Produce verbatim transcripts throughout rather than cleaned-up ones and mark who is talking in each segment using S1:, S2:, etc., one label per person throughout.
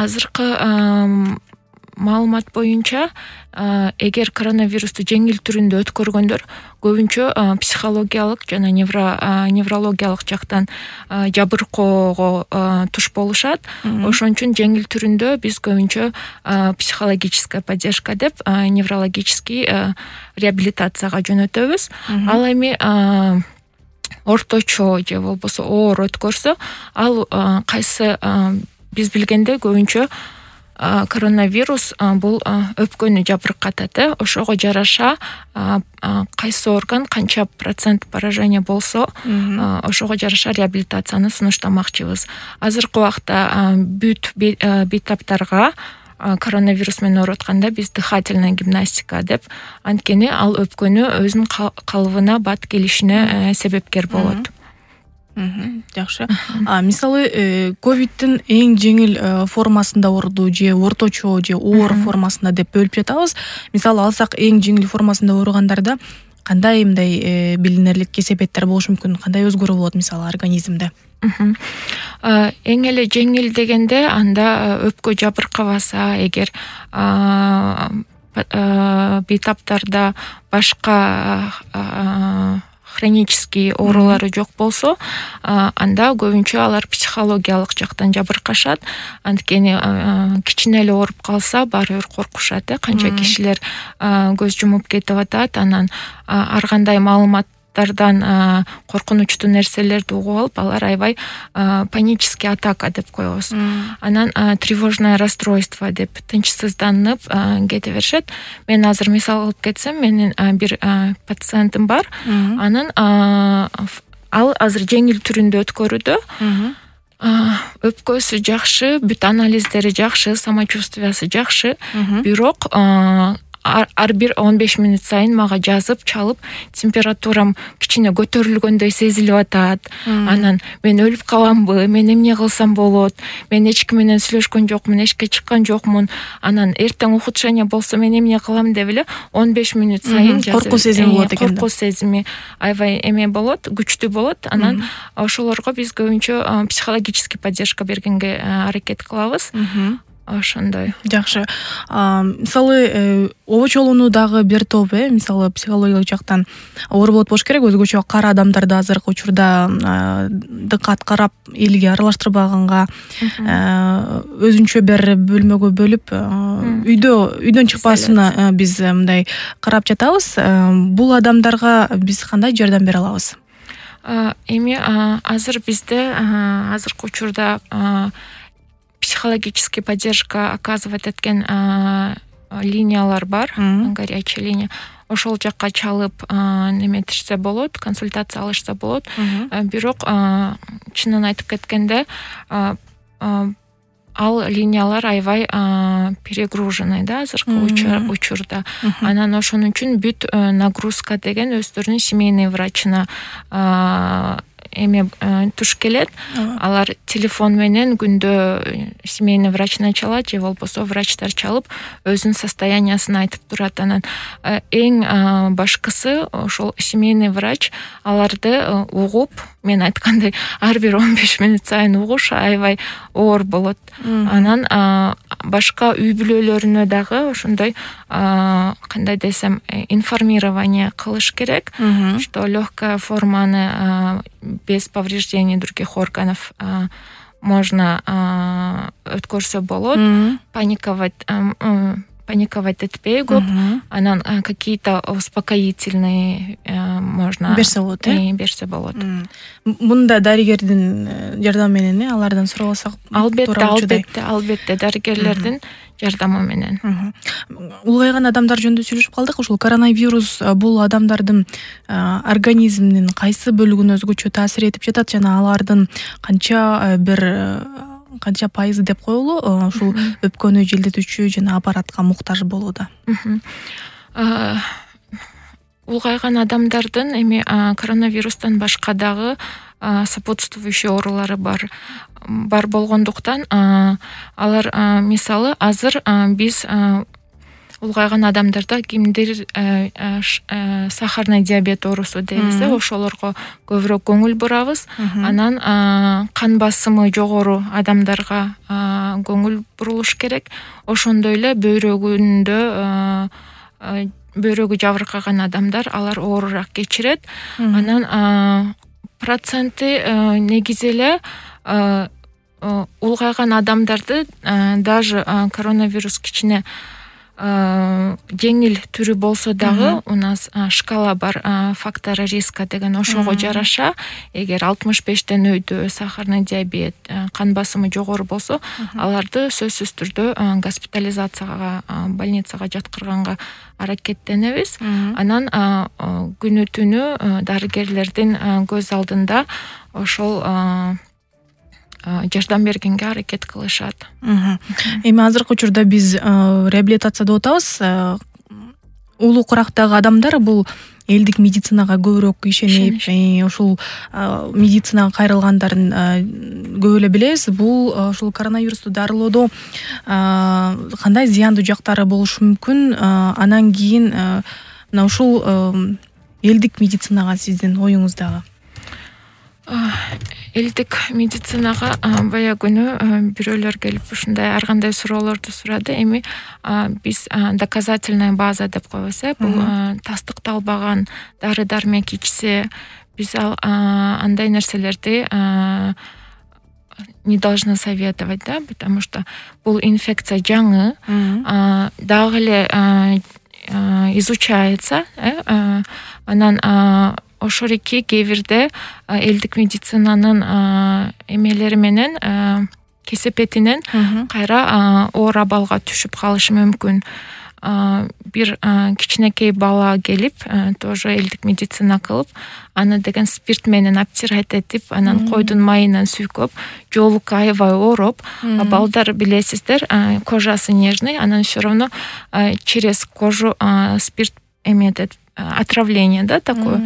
S1: азыркы маалымат боюнча эгер коронавирусту жеңил түрүндө өткөргөндөр көбүнчө психологиялык жана неврологиялык жактан жабыркоого туш болушат. Ошон үчүн жеңил түрүндө биз көбүнчө психологическая поддержка деп неврологический реабилитацияга жөнөтөбүз. Ал эми орточо же болбосо оор өткөрсө, ал кайсы биз билгенде көбүнчө коронавирус бул өпкөнү жабыркатат. Ошого жараша кайсы орган канча процент поражение болсо, ошого жараша реабилитацияны сунуштамакчыбыз. Азыркы убакта бүт бейтаптарга коронавирус менен оорутканда биз дыхательная гимнастика деп, анткени ал өпкөнү өзүнүн калыбына бат келишине себепкер болот.
S2: Жакшы. Мисалы, ковидтин эң жеңил формасында ооруду же орточо же оор формасында деп бөлүп жатабыз. Мисалы алсак, эң жеңил формасында ооругандарда кандай мындай билинерлик кесепеттер болушу мүмкүн? Кандай өзгөрүү болот мисалы организмде?
S1: Эң эле жеңил дегенде анда өпкө жабыркабаса, эгер бейтаптарда башка хронический оорулары жок болсо, анда көбүнчө алар психологиялык жактан жабыркашат. Анткени кичине эле ооруп калса, баары бир коркушат. Канча кишилер көз жумуп кетип атат, анан ар кандай маалыматтардан коркунучтуу нерселерди угуп алып, алар аябай панический атака деп коебуз. Анан тревожное расстройство деп тынчсызданып кете беришет. Мен азыр мисал кылып кетсем, менин бир пациентим бар. Анын ал азыр жеңил түрүндө өткөрүүдө. Өпкөсү жакшы, бүт анализдери жакшы, самочувствиясы жакшы. Бирок ар бир он беш мүнөт сайын мага жазып, чалып, температурам кичине көтөрүлгөндөй сезилип атат. Анан мен өлүп каламбы, мен эмне кылсам болот, мен эч ким менен сүйлөшкөн жокмун, эшикке чыккан жокмун, анан эртең ухудшение болсо мен эмне кылам деп эле он беш мүнөт сайын жазып.
S2: Коркуу сезими болот экен.
S1: Коркуу сезими аябай эме болот, күчтүү болот. Анан ошолорго биз көбүнчө психологический поддержка бергенге аракет кылабыз. Ошондой.
S2: Жакшы. Мисалы, обочолууну дагы бир топ, э, мисалы психологиялык жактан оор болот болуш керек. Өзгөчө кара адамдарды азыркы учурда дыкат карап, элге аралаштырбаганга, өзүнчө бир бөлмөгө бөлүп, үйдө үйдөн чыкпасына биз мындай карап жатабыз. Бул адамдарга биз кандай жардам бере алабыз?
S1: Эми азыр бизде азыркы учурда психологический поддержка оказывать эткен линиялар бар, горячая линия. Ошол жакка чалып неметишсе болот, консультация алышса болот. Бирок чынын айтып кеткенде, ал линиялар аябай перегружены да азыркы учурда. Анан ошон үчүн бүт нагрузка деген өздөрүнүн семейный врачына эме туш келет. Алар телефон менен күндө семейный врачына чалат же болбосо врачтар чалып өзүнүн состояниясын айтып турат. Анан эң башкысы ошол семейный врач аларды угуп, мен айткандай ар бир он беш мүнөт сайын угуш аябай оор болот. Анан башка үй бүлөлөрүнө дагы ошондой кандай десем информирование кылыш керек, что легкая форманы без повреждений других органов можно өткөрсө болот. Паниковать паниковать этпей көп. Анан какие-то успокоительные можно
S2: берсе болот, э?
S1: Берсе болот.
S2: Мында дарыгердин жардамы менен алардан суралсак,
S1: албетте, албетте, албетте дарыгерлердин жардамы менен.
S2: Улгайган адамдар жөнүндө сүйлөшүп калдык. Ошол коронавирус бул адамдардын организминин кайсы бөлүгүнө өзгөчө таасир этип жатат жана алардын канча бир канча пайызы деп коелу ушул өпкөнү желдетүүчү жана аппаратка муктаж болууда?
S1: Улгайган адамдардын эми коронавирустан башка дагы сопутствующий оорулары бар бар болгондуктан алар мисалы азыр биз улгайган адамдарда кимдир сахарный диабет оорусу дейбиз да, ошолорго көбүрөөк көңүл бурабыз. Анан кан басымы жогору адамдарга көңүл бурулуш керек. Ошондой эле бөйрөгүндө бөйрөгү жабыркаган адамдар алар оорураак кечирет. Анан проценти негизи эле улгайган адамдарды даже коронавирус кичине жеңил түрү болсо дагы у нас шкала бар, факторы риска деген, ошого жараша эгер алтымыш бештен өйдө сахарный диабет, кан басымы жогору болсо, аларды сөзсүз түрдө госпитализацияга, больницага жаткырганга аракеттенебиз. Анан күнү түнү дарыгерлердин көз алдында ошол жардам бергенге аракет кылышат.
S2: Эми азыркы учурда биз реабилитация деп атабыз. Улуу курактагы адамдар бул элдик медицинага көбүрөөк ишенип, ошол медицинага кайрылгандарын көп эле билебиз. Бул ушул коронавирусту дарылоодо кандай зыяндуу жактары болушу мүмкүн? Анан кийин мына ушул элдик медицинага сиздин оюңуз дагы?
S1: Элдик медицинага бая күнү бирөөлөр келип ушундай ар кандай суроолорду сурады. Эми биз доказательная база деп койбойбуз, бул тастыкталбаган дары дармек ичсе, биз андай нерселерди не должны советовать, да, потому что бул инфекция жаңы, дагы эле изучается. Анан ошорики кээ бирде элдик медицинанын эмелери менен кесепетинен кайра оор абалга түшүп калышы мүмкүн. Бир кичинекей бала келип, тоже элдик медицина кылып, аны деген спирт менен обтирать этип, анан койдун майынан сүйкөп, жолук аябай ооруп, балдар билесиздер, кожасы нежный, анан все равно через кожу спирт эметет, отравление, да, такое.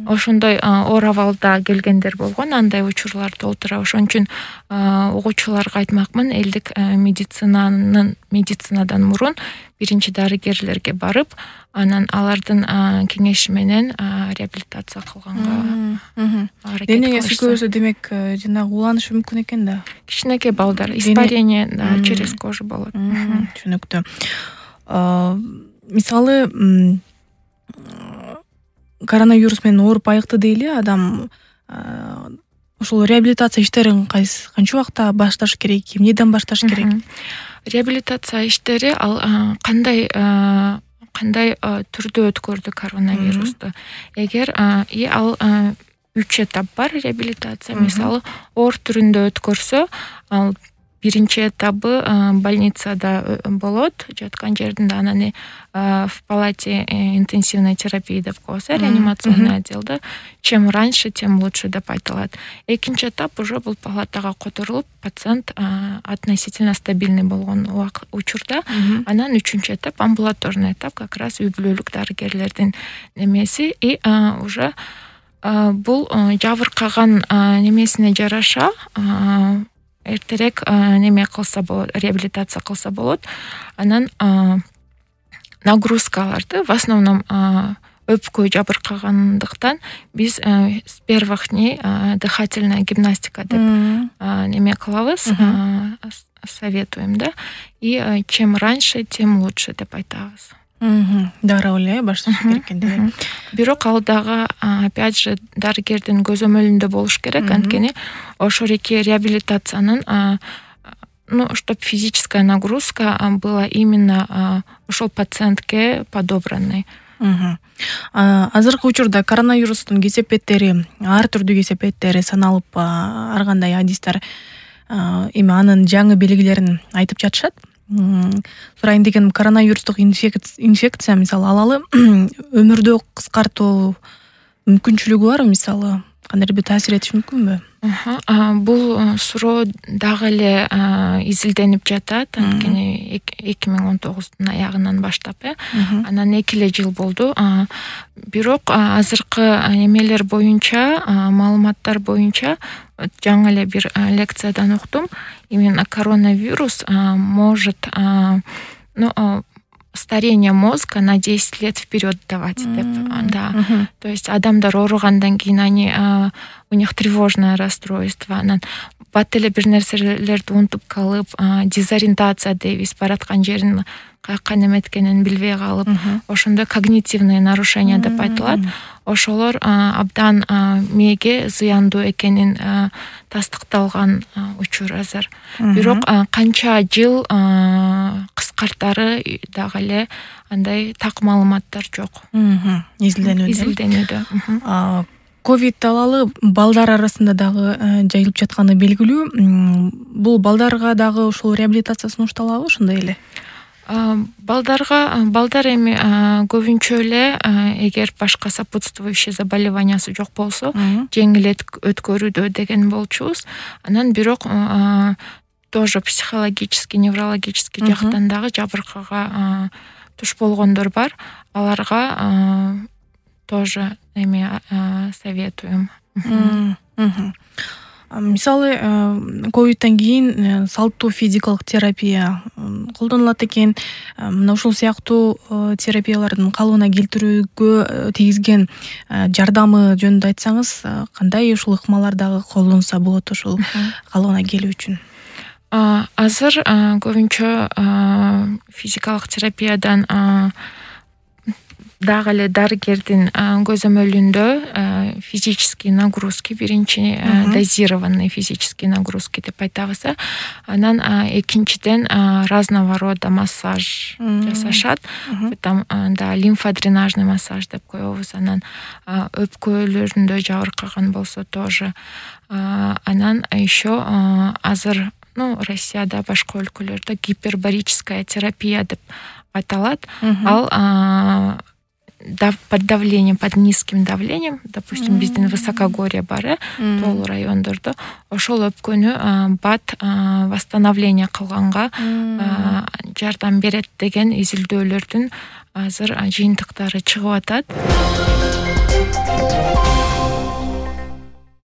S1: Ошондой оор абалда келгендер болгон, андай учурлар толтура. Ошон үчүн угуучуларга айтмакмын, элдик медицинанын медицинадан мурун биринчи дарыгерлерге барып, анан алардын кеңеши менен реабилитация кылганга аракет кылышса. Денеге
S2: сүйкөбөсө, демек, жанагы уланышы мүмкүн экен да.
S1: Кичинекей балдар испарение через кожу болот.
S2: Түшүнүктүү. Мисалы, коронавирус менен ооруп айыкты дейли, адам ошол реабилитация иштерин канча убакта башташ керек, эмнеден башташ керек?
S1: Реабилитация иштери ал кандай кандай түрдө өткөрдү коронавирусту. Эгер ал үч этап бар реабилитация. Мисалы, оор түрүндө өткөрсө, ал биринчи этабы больницада болот, жаткан жеринде, анан в палате интенсивной терапии деп коебуз, реанимационный отделде. Чем раньше, тем лучше деп айтылат. Экинчи этап уже бул палатага которулуп, пациент относительно стабильный болгон учурда. Анан үчүнчү этап, амбулаторный этап, как раз үй бүлөлүк дарыгерлердин немеси. И уже бул жабыркаган немесине жараша эртерээк неме кылса болот, реабилитация кылса болот. Анан нагрузкаларды, в основном өпкө жабыркагандыктан, биз с первых дней дыхательная гимнастика деп неме кылабыз, советуем, да. И чем раньше, тем лучше деп айтабыз.
S2: Дароо эле башташ керек экен.
S1: Бирок ал дагы опять же дарыгердин көзөмөлүндө болуш керек, анткени ошорики реабилитациянын, ну, чтоб физическая нагрузка была именно ошол пациентке подобранной.
S2: Азыркы учурда коронавирустун кесепеттери, ар түрдүү кесепеттери саналып, ар кандай адистер эми анын жаңы белгилерин айтып жатышат. Сурайын дегеним, коронавирустук инфекция, мисалы, алалы өмүрдү кыскартуу мүмкүнчүлүгү бар, мисалы, кандайдыр бир таасир этиши мүмкүнбү?
S1: Бул суроо дагы эле изилденип жатат, анткени эки миң он тогуздун аягынан баштап, анан эки эле жыл болду. Бирок азыркы эмелер боюнча, маалыматтар боюнча, жаңы эле бир лекциядан уктум, именно коронавирус может, ну, старение мозга на десять лет вперед давать деп, да. То есть адамдар ооругандан кийин они у них тревожное расстройство, анан бат эле бир нерселерди унутуп калып, дезориентация дейбиз, бараткан жерин каяка неметкенин билбей калып, ошондой когнитивный нарушение деп айтылат. Ошолор абдан мээге зыяндуу экенин тастыкталган учур азыр. Бирок канча жыл кыскартары дагы эле андай так маалыматтар жок.
S2: Изилденүүдө.
S1: Изилденүүдө.
S2: Ковид талалы балдар арасында дагы жайылып жатканы белгилүү. Бул балдарга дагы ошол реабилитация сунушталабы ошондой эле?
S1: Балдарга балдар эми көбүнчө эле эгер башка сопутствующий заболеваниясы жок болсо жеңил өткөрүүдө деген болчубуз. Анан бирок тоже психологический, неврологический жактан дагы жабыркага туш болгондор бар. Аларга тоже эми советуем.
S2: Мисалы, ковидтен кийин салттуу физикалык терапия колдонулат экен. Мына ушул сыяктуу терапиялардын калыбына келтирүүгө тийгизген жардамы жөнүндө айтсаңыз, кандай ушул ыкмалар дагы колдонса болот ушул калыбына келүү үчүн?
S1: Азыр көбүнчө физикалык терапиядан дагы эле дарыгердин көзөмөлүндө физический нагрузки, биринчи дозированный физический нагрузки деп айтабыз. Анан экинчиден разного рода массаж жасашат. Там да лимфодренажный массаж деп коебуз. Анан өпкөлөрүндө жабыркаган болсо тоже. Анан еще азыр, ну, Россияда, башка өлкөлөрдө гипербарическая терапия деп аталат. Ал под давлением, под низким давлением, допустим, биздин высокогорье бар, тоолуу райондордо ошол өпкөнү бат восстановление кылганга жардам берет деген изилдөөлөрдүн азыр жыйынтыктары чыгып атат.